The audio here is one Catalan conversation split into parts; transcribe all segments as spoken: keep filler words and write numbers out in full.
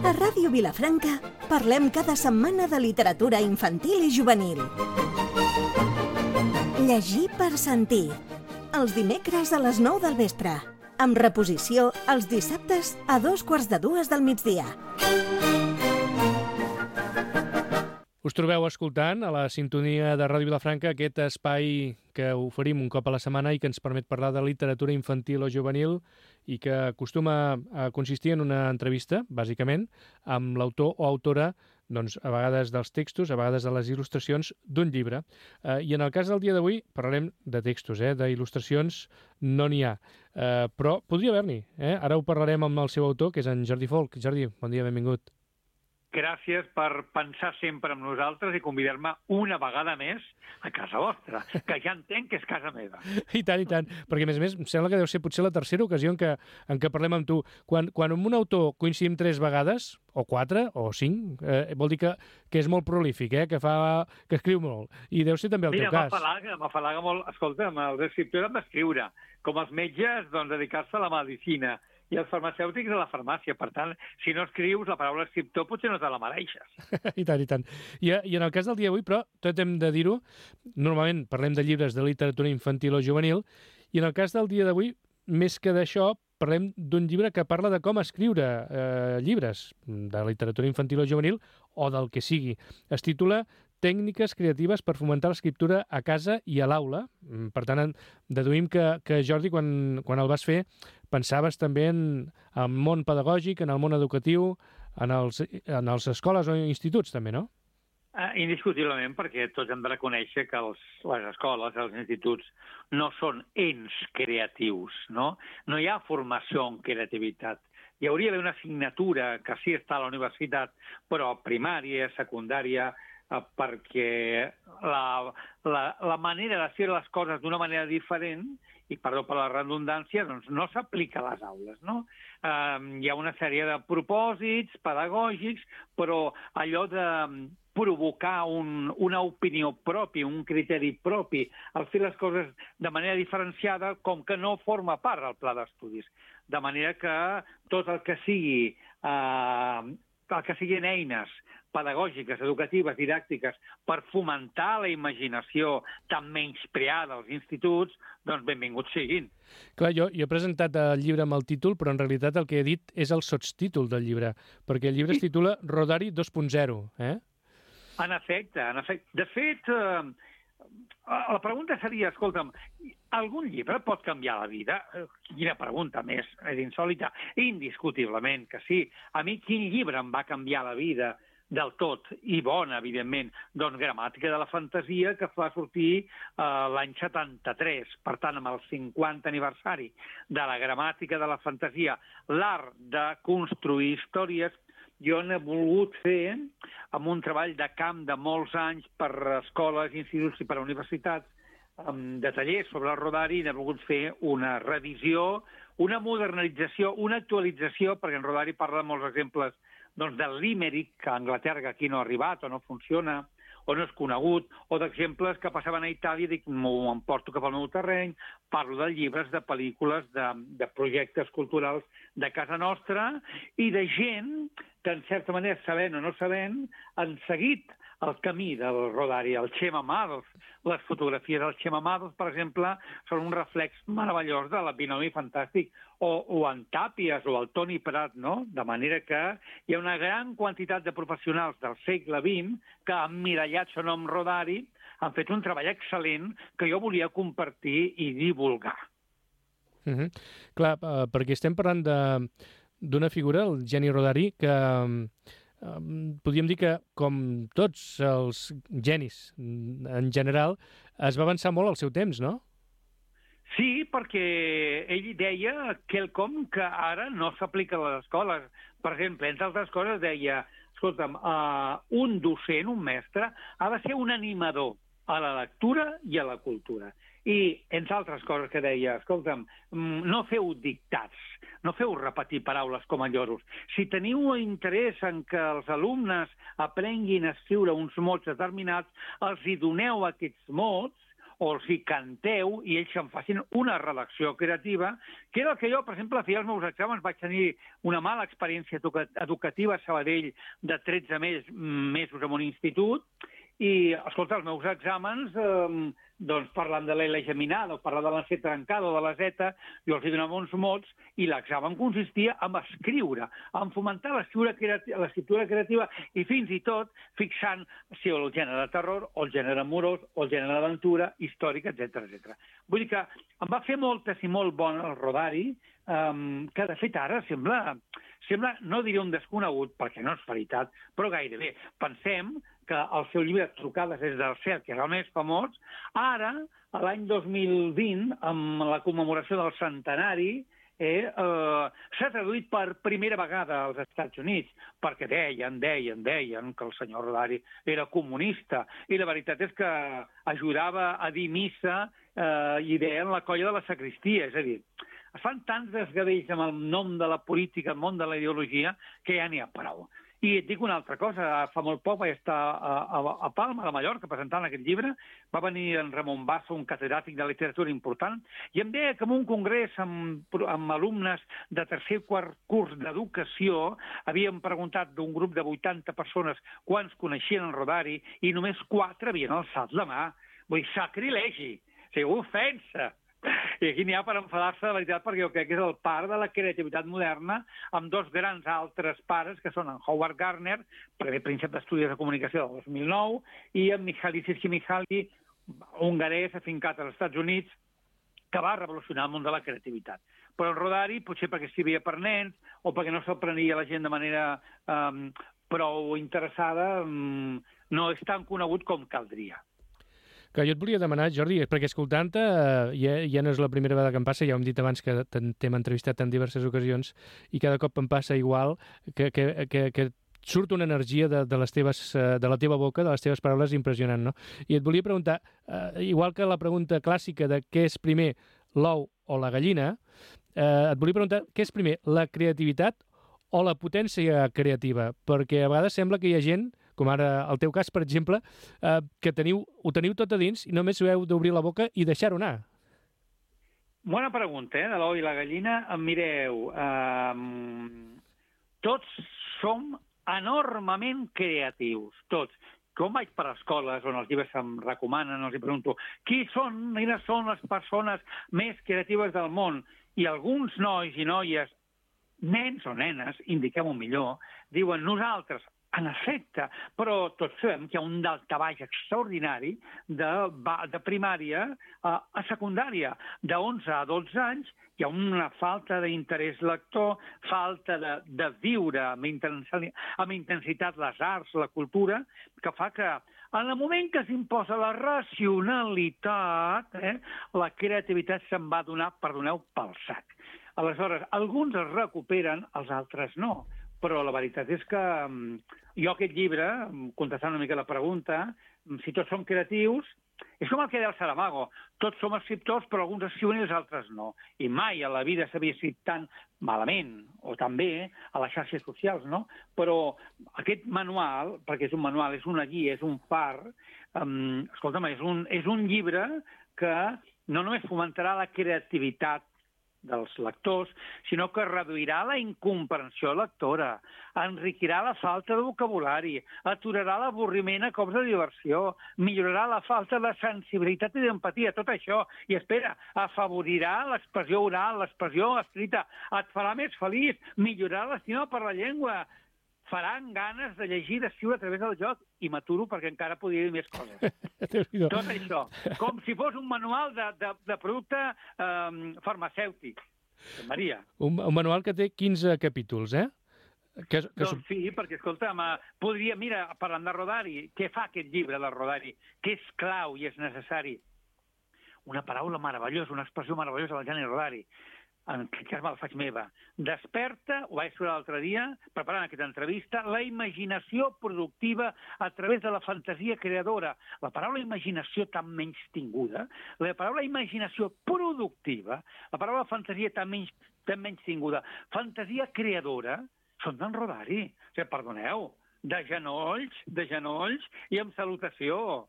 A Ràdio Vilafranca parlem cada setmana de literatura infantil i juvenil. Llegir per sentir. Els dimecres a les nou del vespre. Amb reposició els dissabtes a dos quarts de dues del migdia. Us trobeu escoltant a la sintonia de Ràdio Vilafranca aquest espai que oferim un cop a la setmana i que ens permet parlar de literatura infantil o juvenil i que acostuma a consistir en una entrevista, bàsicament, amb l'autor o autora, doncs, a vegades dels textos, a vegades de les il·lustracions d'un llibre. Eh, I en el cas del dia d'avui parlarem de textos, eh? d'il·lustracions no n'hi ha, eh, però podria haver-n'hi. Eh? Ara ho parlarem amb el seu autor, que és en Jordi Folch. Jordi, bon dia, benvingut. Gràcies per pensar sempre en nosaltres i convidar-me una vegada més a casa vostra, que ja entenc que és casa meva. I tant, i tant, perquè a més a més em sembla que deu ser potser la tercera ocasió en què, en què parlem amb tu. Quan, quan amb un autor coincidim tres vegades, o quatre, o cinc, eh, vol dir que, que és molt prolífic, eh? que, fa, que escriu molt. I deu ser també el Mira, teu cas. Mira, m'afalaga molt. Escolta, els escriptors han d'escriure, com els metges, doncs, dedicar-se a la medicina, i els farmacèutics a la farmàcia. Per tant, si no escrius, la paraula escriptor potser no te la mereixes. I tant, i tant. I, I en el cas del dia d'avui, però, tot hem de dir-ho, normalment parlem de llibres de literatura infantil o juvenil, i en el cas del dia d'avui, més que d'això, parlem d'un llibre que parla de com escriure eh, llibres de literatura infantil o juvenil, o del que sigui. Es titula Tècniques creatives per fomentar l'escriptura a casa i a l'aula. Per tant, deduïm que, que Jordi, quan, quan el vas fer, pensaves també en el món pedagògic, en el món educatiu, en els, en els escoles o instituts també, no? Uh, indiscutiblement, perquè tots hem de reconèixer que els, les escoles, els instituts, no són ens creatius, no? No hi ha formació en creativitat. Hi hauria d'haver una assignatura que sí està a la universitat, però primària, secundària, uh, perquè la, la, la manera de fer les coses d'una manera diferent, i perdó per la redundància, doncs no s'aplica a les aules, no? Uh, hi ha una sèrie de propòsits pedagògics, però allò de provocar un, una opinió pròpia, un criteri propi, al fer les coses de manera diferenciada, com que no forma part del pla d'estudis. De manera que tot el que sigui, eh, el que siguin eines pedagògiques, educatives, didàctiques, per fomentar la imaginació tan menyspreada als instituts, doncs benvinguts siguin. Clar, jo, jo he presentat el llibre amb el títol, però en realitat el que he dit és el sotstítol del llibre, perquè el llibre es titula Rodari dos punt zero, eh? En efecte, en efecte. De fet, eh, la pregunta seria, escolta'm, algun llibre pot canviar la vida? Quina pregunta més, és insòlita. Indiscutiblement que sí. A mi quin llibre em va canviar la vida del tot, i bona, evidentment? Doncs Gramàtica de la fantasia, que va sortir eh, l'any setanta-tres. Per tant, amb el cinquanta aniversari de la Gramàtica de la fantasia, l'art de construir històries, jo n'he volgut fer amb un treball de camp de molts anys per escoles, instituts i per universitats, de tallers sobre el Rodari, n'he volgut fer una revisió, una modernització, una actualització, perquè en Rodari parla de molts exemples doncs, del Limerick, que a Anglaterra que aquí no ha arribat o no funciona, o no és conegut, o d'exemples que passaven a Itàlia, dic, m'ho emporto cap al meu terreny, parlo de llibres, de pel·lícules, de, de projectes culturals de casa nostra i de gent que, en certa manera, sabent o no sabent, han seguit el camí del Rodari. El Chema Mados, les fotografies del Chema Mados, per exemple, són un reflex meravellós de la binomi fantàstic, o, o en Tàpies o el Toni Prat, no? De manera que hi ha una gran quantitat de professionals del segle vint que, emmirallats o no amb Rodari, han fet un treball excel·lent que jo volia compartir i divulgar. Mm-hmm. Clar, uh, perquè estem parlant de, d'una figura, el Geni Rodari, que Um, podríem dir que, com tots els genis en general, es va avançar molt al seu temps, no? Sí, perquè ell deia quelcom que ara no s'aplica a les escoles. Per exemple, entre altres coses, deia, escolta'm, uh, un docent, un mestre, ha de ser un animador a la lectura i a la cultura. I, entre altres coses que deia, escolta'm, no feu dictats, no feu repetir paraules com a lloros. Si teniu interès en que els alumnes aprenguin a escriure uns mots determinats, els hi doneu aquests mots o els hi canteu i ells se'n facin una redacció creativa, que era el que jo, per exemple, feia els meus exàmens. Vaig tenir una mala experiència educativa a Sabadell de tretze mesos en un institut, i, escolta, els meus exàmens, eh, doncs, parlant de l'L geminada, o parlant de la C trencada o de la Z, jo els hi donava uns mots, i l'examen consistia en escriure, en fomentar l'escriptura creativa, l'escriptura creativa i fins i tot fixant si el gènere de terror, o el gènere amorós, o el gènere d'aventura, històrica, etcètera, etcètera. Vull dir que em va fer moltes i molt bon el Rodari, um, que de fet ara sembla, sembla, no diré un desconegut, perquè no és veritat, però gairebé. Pensem que el seu llibre Trucades des del cel, que era el més famós, ara, a l'any dos mil vint, amb la commemoració del centenari, eh, eh, s'ha traduït per primera vegada als Estats Units, perquè deien, deien, deien que el senyor Rodari era comunista, i la veritat és que ajudava a dir missa eh, i deien la colla de la sacristia, és a dir, es fan tants desgavells amb el nom de la política, el món de la ideologia, que ja n'hi ha prou. I et dic una altra cosa, fa molt poc vaig estar a, a, a Palma, de Mallorca, presentant aquest llibre, va venir en Ramon Bassa, un catedràtic de literatura important, i em deia que en un congrés amb, amb alumnes de tercer i quart curs d'educació havíem preguntat d'un grup de vuitanta persones quants coneixien el Rodari, i només quatre havien alçat la mà. Vull dir, sacrilegi, o sigui, ofensa. I aquí n'hi ha per enfadar-se de veritat, perquè jo crec que és el pare de la creativitat moderna, amb dos grans altres pares, que són en Howard Gardner, primer príncep d'estudis de comunicació del dos mil nou, i en Mihaly Csikszentmihalyi, hongarès afincat als Estats Units, que va revolucionar el món de la creativitat. Però el Rodari, potser perquè escrivia per nens, o perquè no se'l prenia la gent de manera um, prou interessada, um, no és tan conegut com caldria. Que jo et volia demanar, Jordi, perquè escoltant-te eh, ja, ja no és la primera vegada que em passa, ja ho hem dit abans que t'hem entrevistat en diverses ocasions, i cada cop em passa igual, que, que, que, que surt una energia de, de, les teves, de la teva boca, de les teves paraules, impressionant, no? I et volia preguntar, eh, igual que la pregunta clàssica de què és primer, l'ou o la gallina, eh, et volia preguntar què és primer, la creativitat o la potència creativa? Perquè a vegades sembla que hi ha gent, com ara el teu cas, per exemple, eh, que teniu, ho teniu tot a dins i només heu d'obrir la boca i deixar-ho anar. Bona pregunta, eh, de l'ou i la gallina. Mireu, eh, tots som enormement creatius, tots. Quan vaig per escoles on els llibres em recomanen, els hi pregunto qui són, quines són les persones més creatives del món? I alguns nois i noies, nens o nenes, indiquem-ho millor, diuen nosaltres. En efecte, però tots sabem que hi ha un daltabaix extraordinari de, de primària a, a secundària. De onze a dotze anys hi ha una falta d'interès lector, falta de, de viure amb intensitat, amb intensitat les arts, la cultura, que fa que en el moment que s'imposa la racionalitat, eh, la creativitat se'n va donar, perdoneu, pel sac. Aleshores, alguns es recuperen, els altres no. Però la veritat és que jo aquest llibre, contestant una mica la pregunta, si tots som creatius, és com el que deia el Saramago, tots som escriptors, però alguns escriuen i els altres no. I mai a la vida s'havia escrit tan malament, o tan bé, a les xarxes socials, no? Però aquest manual, perquè és un manual, és una guia, és un far, um, escolta'm, és un, és un llibre que no només fomentarà la creativitat dels lectors, sinó que reduirà la incomprensió lectora, enriquirà la falta de vocabulari, aturarà l'avorriment a cops de diversió, millorarà la falta de sensibilitat i d'empatia, tot això, i espera, afavorirà l'expressió oral, l'expressió escrita, et farà més feliç, millorarà l'estima per la llengua, faran ganes de llegir i d'escriure a través del joc, i m'aturo perquè encara podria dir més coses. Tot això, com si fos un manual de, de, de producte eh, farmacèutic. Maria. Un, un manual que té quinze capítols, eh? Que, que... Doncs sí, perquè, escolta'm, podria, mira, parlant de Rodari, què fa aquest llibre de Rodari? Què és clau i és necessari? Una paraula meravellosa, una expressió meravellosa del Gianni Rodari. En aquest cas me'l faig meva. Desperta, ho vaig escriure l'altre dia, preparant aquesta entrevista, la imaginació productiva a través de la fantasia creadora. La paraula imaginació tan menys tinguda, la paraula imaginació productiva, la paraula fantasia tan menys, tan menys tinguda, fantasia creadora, són d'en Rodari. O sigui, perdoneu, de genolls, de genolls i amb salutació.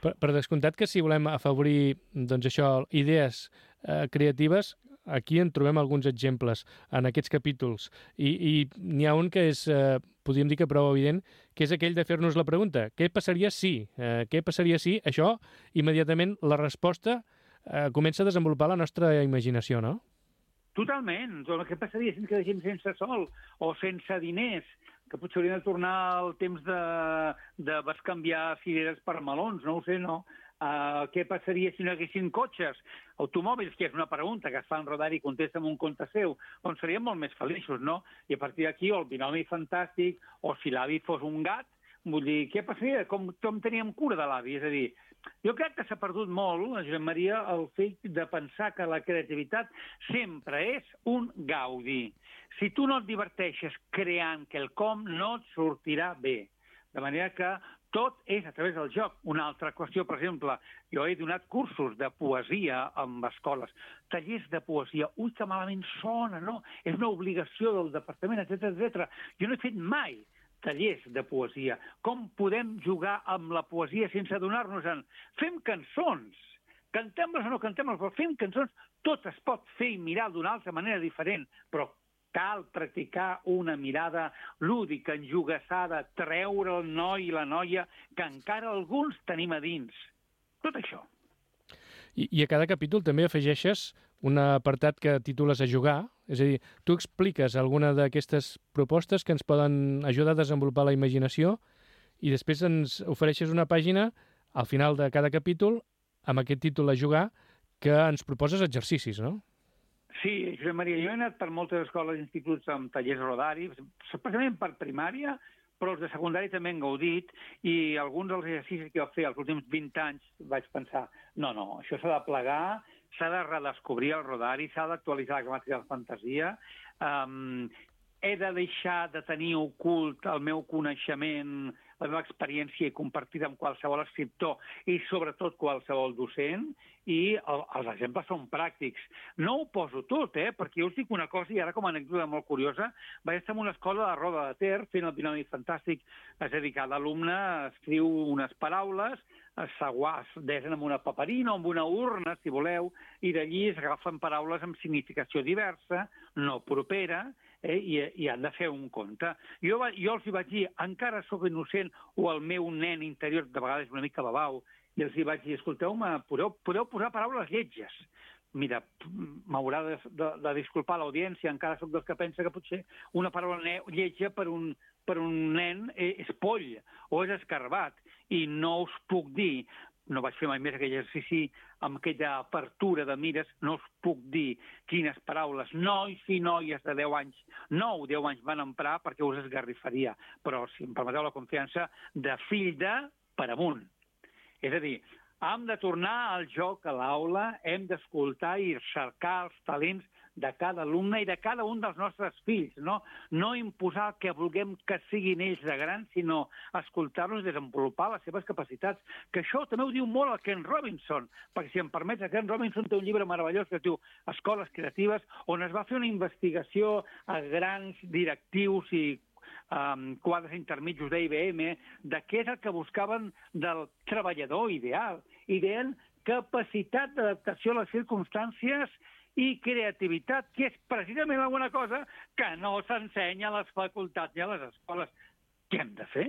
Per, per descomptat que si volem afavorir, doncs això, idees eh, creatives, aquí en trobem alguns exemples en aquests capítols. I, i n'hi ha un que és, eh, podríem dir que prou evident, que és aquell de fer-nos la pregunta, què passaria si? Eh, què passaria si? Això, immediatament, la resposta eh, comença a desenvolupar la nostra imaginació, no? Totalment. Què passaria si ens quedéssim sense sol o sense diners? Que potser hauríem de tornar al temps de, de bescanviar cireres per melons, no ho sé, no? Uh, què passaria si no hi haguessin cotxes, automòbils, que és una pregunta que es fa en Rodari i contesta amb un conte seu, doncs seríem molt més feliços, no? I a partir d'aquí, o el binomi fantàstic, o si l'avi fos un gat, vull dir, què passaria? Com, com teníem cura de l'avi? És a dir, jo crec que s'ha perdut molt, Josep Maria, el fet de pensar que la creativitat sempre és un gaudi. Si tu no et diverteixes creant quelcom, no et sortirà bé. De manera que tot és a través del joc. Una altra qüestió, per exemple, jo he donat cursos de poesia en escoles, tallers de poesia. Ui, que malament sona, no? És una obligació del departament, etcètera, etcètera. Jo no he fet mai tallers de poesia. Com podem jugar amb la poesia sense adonar-nos-en? Fem cançons. Cantem-les o no cantem-les, però fem cançons. Tot es pot fer i mirar d'una altra manera diferent, però cal practicar una mirada lúdica, enjugassada, treure el noi i la noia que encara alguns tenim a dins. Tot això. I, i a cada capítol també afegeixes un apartat que titules a jugar, és a dir, tu expliques alguna d'aquestes propostes que ens poden ajudar a desenvolupar la imaginació i després ens ofereixes una pàgina al final de cada capítol amb aquest títol a jugar que ens proposes exercicis, no? Sí, Josep Maria, jo he anat per moltes escoles i instituts amb tallers Rodari, especialment per primària, però els de secundari també han gaudit, i alguns dels exercicis que jo fer els últims vint anys vaig pensar, no, no, això s'ha de plegar, s'ha de redescobrir el Rodari, s'ha d'actualitzar la gramàtica de la fantasia, um, he de deixar de tenir ocult el meu coneixement, la meva experiència i compartida amb qualsevol escriptor i sobretot qualsevol docent, i el, els exemples són pràctics. No ho poso tot, eh? Perquè jo us dic una cosa, i ara com a anècdota molt curiosa, vaig estar en una escola de Roda de Ter fent el binomi fantàstic, és a dir, cada alumne escriu unes paraules, es desen amb una paperina o amb una urna, si voleu, i d'allí es agafen paraules amb significació diversa, no propera, eh, i, i han de fer un conte. Jo, jo els hi vaig dir, encara sóc innocent, o el meu nen interior de vegades una mica babau, i els hi vaig dir, escolteu-me, podeu, podeu posar paraules lletges. Mira, m'haurà de, de, de disculpar l'audiència, encara sóc dels que pensa que potser una paraula lletja per un, per un nen és poll o és escarbat, i no us puc dir, no vaig fer mai més aquell exercici amb aquella apertura de mires, no us puc dir quines paraules nois i noies de deu anys, nou deu anys van emprar perquè us esgarrifaria, però si em permeteu la confiança, de fill de per amunt. És a dir, hem de tornar al joc a l'aula, hem d'escoltar i cercar els talents de cada alumne i de cada un dels nostres fills, no? No imposar el que vulguem que siguin ells de grans, sinó escoltar-los i desenvolupar les seves capacitats. Que això també ho diu molt el Ken Robinson, perquè si em permets, el Ken Robinson té un llibre meravellós que es diu Escoles Creatives, on es va fer una investigació a grans directius i Um, quadres intermitjos d'I B M, de què és el que buscaven del treballador ideal. I deien capacitat d'adaptació a les circumstàncies i creativitat, que és precisament alguna cosa que no s'ensenya a les facultats ni a les escoles. Què hem de fer?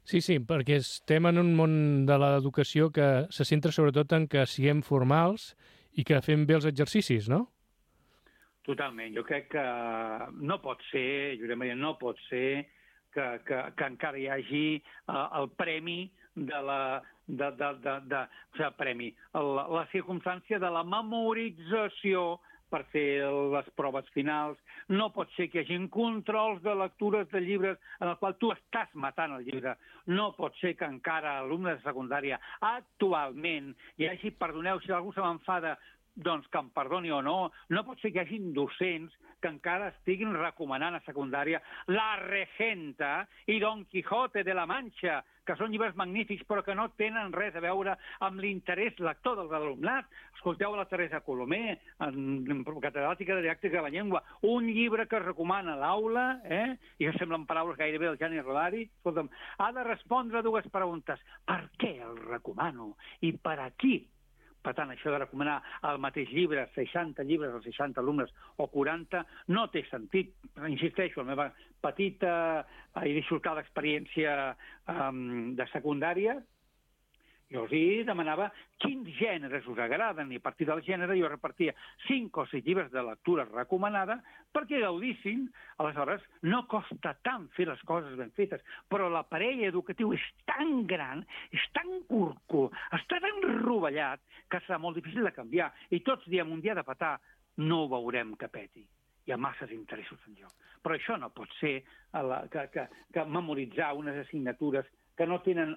Sí, sí, perquè estem en un món de l'educació que se centra sobretot en que siguem formals i que fem bé els exercicis, no? Totalment. Jo crec que no pot ser, Josep Maria, no pot ser que, que, que encara hi hagi uh, el premi de la, de, de, de, de, o sigui, premi, la, la circumstància de la memorització per fer les proves finals. No pot ser que hi hagi controls de lectures de llibres en el qual tu estàs matant el llibre. No pot ser que encara alumnes de secundària actualment hi hagi, perdoneu si algú se m'enfada, doncs que em perdoni o no, no pot ser que hi hagi docents que encara estiguin recomanant a secundària La Regenta i Don Quijote de la Mancha, que són llibres magnífics però que no tenen res a veure amb l'interès lector dels alumnat. Escolteu la Teresa Colomer, en catedràtica de didàctica de la llengua, un llibre que es recomana a l'aula, eh? i que semblen paraules gairebé del Gianni Rodari. Escolta'm, ha de respondre a dues preguntes. Per què el recomano? I per a qui? Per tant, això de recomanar el mateix llibre, seixanta llibres o seixanta alumnes o quaranta, no té sentit. Insisteixo, la meva petita i dissortada experiència um, de secundària, jo els hi demanava quins gèneres us agraden, i a partir del gènere jo repartia cinc o sis llibres de lectura recomanada perquè gaudissin. Aleshores, no costa tant fer les coses ben fetes, però l'aparell educatiu és tan gran, és tan curco, està tan rovellat, que serà molt difícil de canviar. I tots diem, un dia de petar, no ho veurem que peti. Hi ha masses interessos en joc. Però això no pot ser la, que, que, que memoritzar unes assignatures que no tenen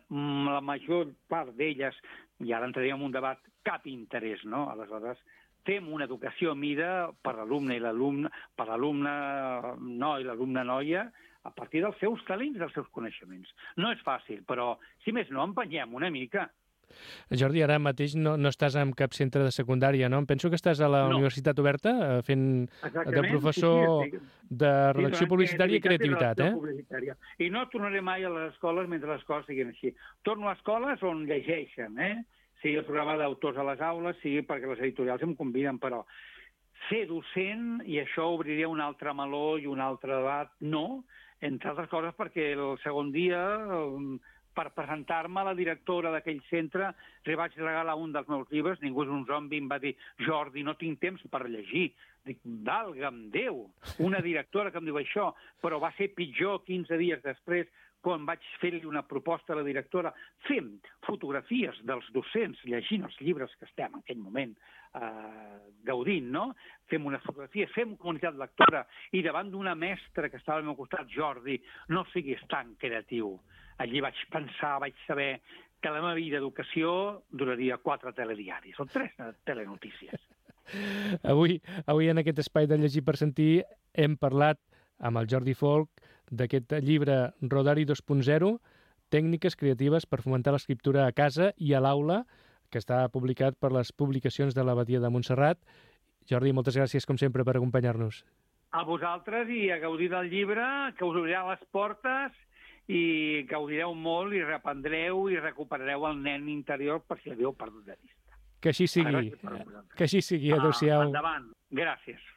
la major part d'elles, i ara entraríem en un debat, cap interès, no? Aleshores, fem una educació a mida per l'alumne i l'alumne, per l'alumne noi i l'alumne noia, a partir dels seus talents, dels seus coneixements. No és fàcil, però, si més no, empenyem una mica. Jordi, ara mateix no, no estàs en cap centre de secundària, no? Em penso que estàs a la no. Universitat Oberta fent Exactament. de professor sí, sí, de redacció sí, publicitària i creativitat, eh? Publicitària. I no tornaré mai a les escoles mentre les coses siguin així. Torno a escoles on llegeixen, eh? Sigui el programa d'autors a les aules, sigui perquè les editorials em conviden, però ser docent, i això obriria un altre meló i un altre debat, no, entre altres coses perquè el segon dia... per presentar-me a la directora d'aquell centre, li vaig regalar un dels meus llibres, Ningú és un zombi, em va dir, Jordi, no tinc temps per llegir. Dic, valga'm Déu, una directora que em diu això, però va ser pitjor quinze dies després, quan vaig fer-li una proposta a la directora, fem fotografies dels docents llegint els llibres que estem en aquell moment eh, gaudint, no? Fem unes fotografies, fem comunitat lectora, i davant d'una mestra que estava al meu costat, Jordi, no siguis tan creatiu. Allí vaig pensar, vaig saber que la meva vida d'educació duraria quatre telediaris, o tres telenotícies. Avui, avui en aquest espai de Llegir per Sentir hem parlat amb el Jordi Folch d'aquest llibre Rodari dos punt zero, tècniques creatives per fomentar l'escriptura a casa i a l'aula, que està publicat per les publicacions de l'Abadia de Montserrat. Jordi, moltes gràcies, com sempre, per acompanyar-nos. A vosaltres, i a gaudir del llibre, que us obrirà les portes, i gaudireu molt i reprendreu i recuperareu el nen interior per si l'havíeu perdut de vista. Que així sigui. Que així sigui. Adéu-siau. Endavant. Gràcies.